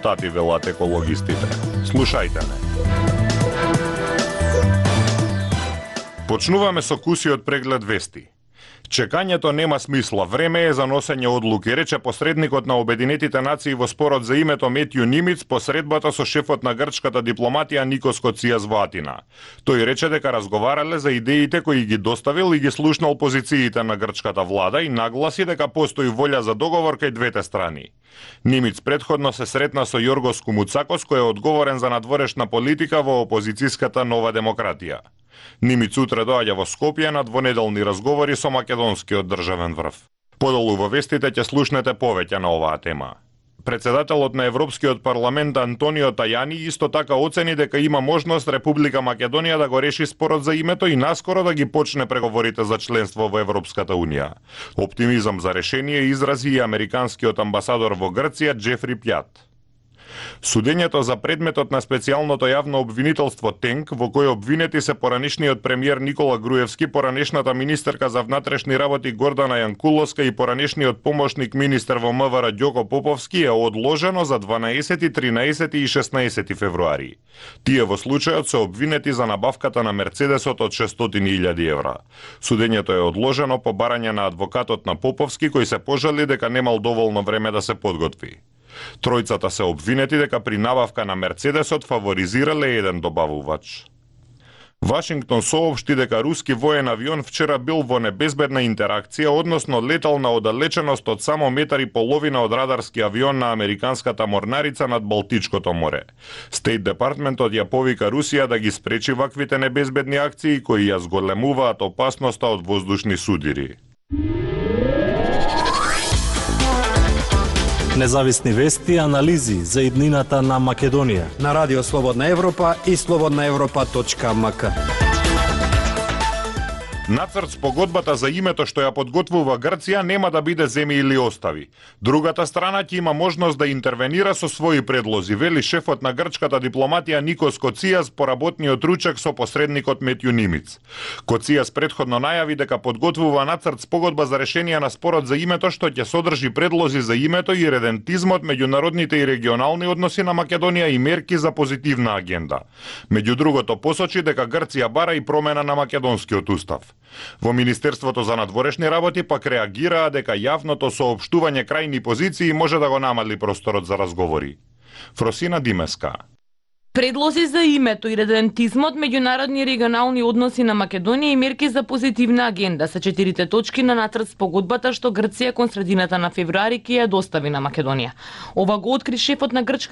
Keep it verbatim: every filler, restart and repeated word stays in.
Тати велат екологистите. Слушајте ме. Почнуваме со кусиот преглед вести. Чекањето нема смисла, време е за носење одлуки, рече посредникот на Обединетите нации во спорот за името Метју Нимиц по средбата со шефот на грчката дипломатија Никос Коцијас во Атина. Тој рече дека разговарале за идеите кои ги доставил и ги слушнал позициите на грчката влада и нагласи дека постои волја за договор кај двете страни. Нимиц предходно се сретна со Јоргос Кумуцакос, кој е одговорен за надворешна политика во опозицијската Нова демократија. Нимиц утре доаѓа во Скопје на двонеделни разговори со македонскиот државен врв. Подолу во вестите ќе слушнете повеќе на оваа тема. Председателот на Европскиот парламент Антонио Тајани исто така оцени дека има можност Република Македонија да го реши спорот за името и наскоро да ги почне преговорите за членство во Европската унија. Оптимизам за решение изрази и американскиот амбасадор во Грција Џефри Пјат. Судењето за предметот на специјалното јавно обвинителство ТЕНК, во кој обвинети се поранешниот премиер Никола Груевски, поранешната министерка за внатрешни работи Гордана Јанкуловска и поранешниот помошник министер во МВР Ѓоко Поповски е одложено за дванаесети, тринаесети и шеснаесети февруари. Тие во случајот се обвинети за набавката на Мерцедесот од шестстотини илјади евра. Судењето е одложено по барање на адвокатот на Поповски, кој се пожали дека немал доволно време да се подготви. Тројцата се обвинети дека при набавка на Мерцедесот фаворизирале еден добавувач. Вашингтон соопшти дека руски воен авион вчера бил во небезбедна интеракција, односно летал на оддалеченост од само метар и половина од радарски авион на американската морнарица над Балтичкото море. Стейт департментот ја повика Русија да ги спречи ваквите небезбедни акции кои ја зголемуваат опасноста од воздушни судири. Независни вести и анализи за иднината на Македонија на Радио Слободна Европа и слободна европа точка ем ка. Нацрт спогодбата за името што ја подготвува Грција нема да биде земи или остави. Другата страна ќе има можност да интервенира со своји предлози, вели шефот на грчката дипломатија Никос Коцијас по работниот ручек со посредникот Метју Нимиц. Коцијас предходно најави дека подготвува нацрт спогодба за решение на спорот за името што ќе содржи предлози за името и редентизмот, меѓународните и регионални односи на Македонија и мерки за позитивна агенда. Меѓу другото посочи дека Грција бара и промена на македонскиот устав. Во Министерството за надворешни работи пак реагираа дека јавното соопштување крајни позиции може да го намали просторот за разговори. Фросина Димеска. Предлози за името и редентизмот, меѓународни и регионални односи на Македонија и мерки за позитивна агенда се четирите точки на нацрт спогодбата што Грција кон средината на февруари ќе ја достави на Македонија. Ова го откри шефот на грчка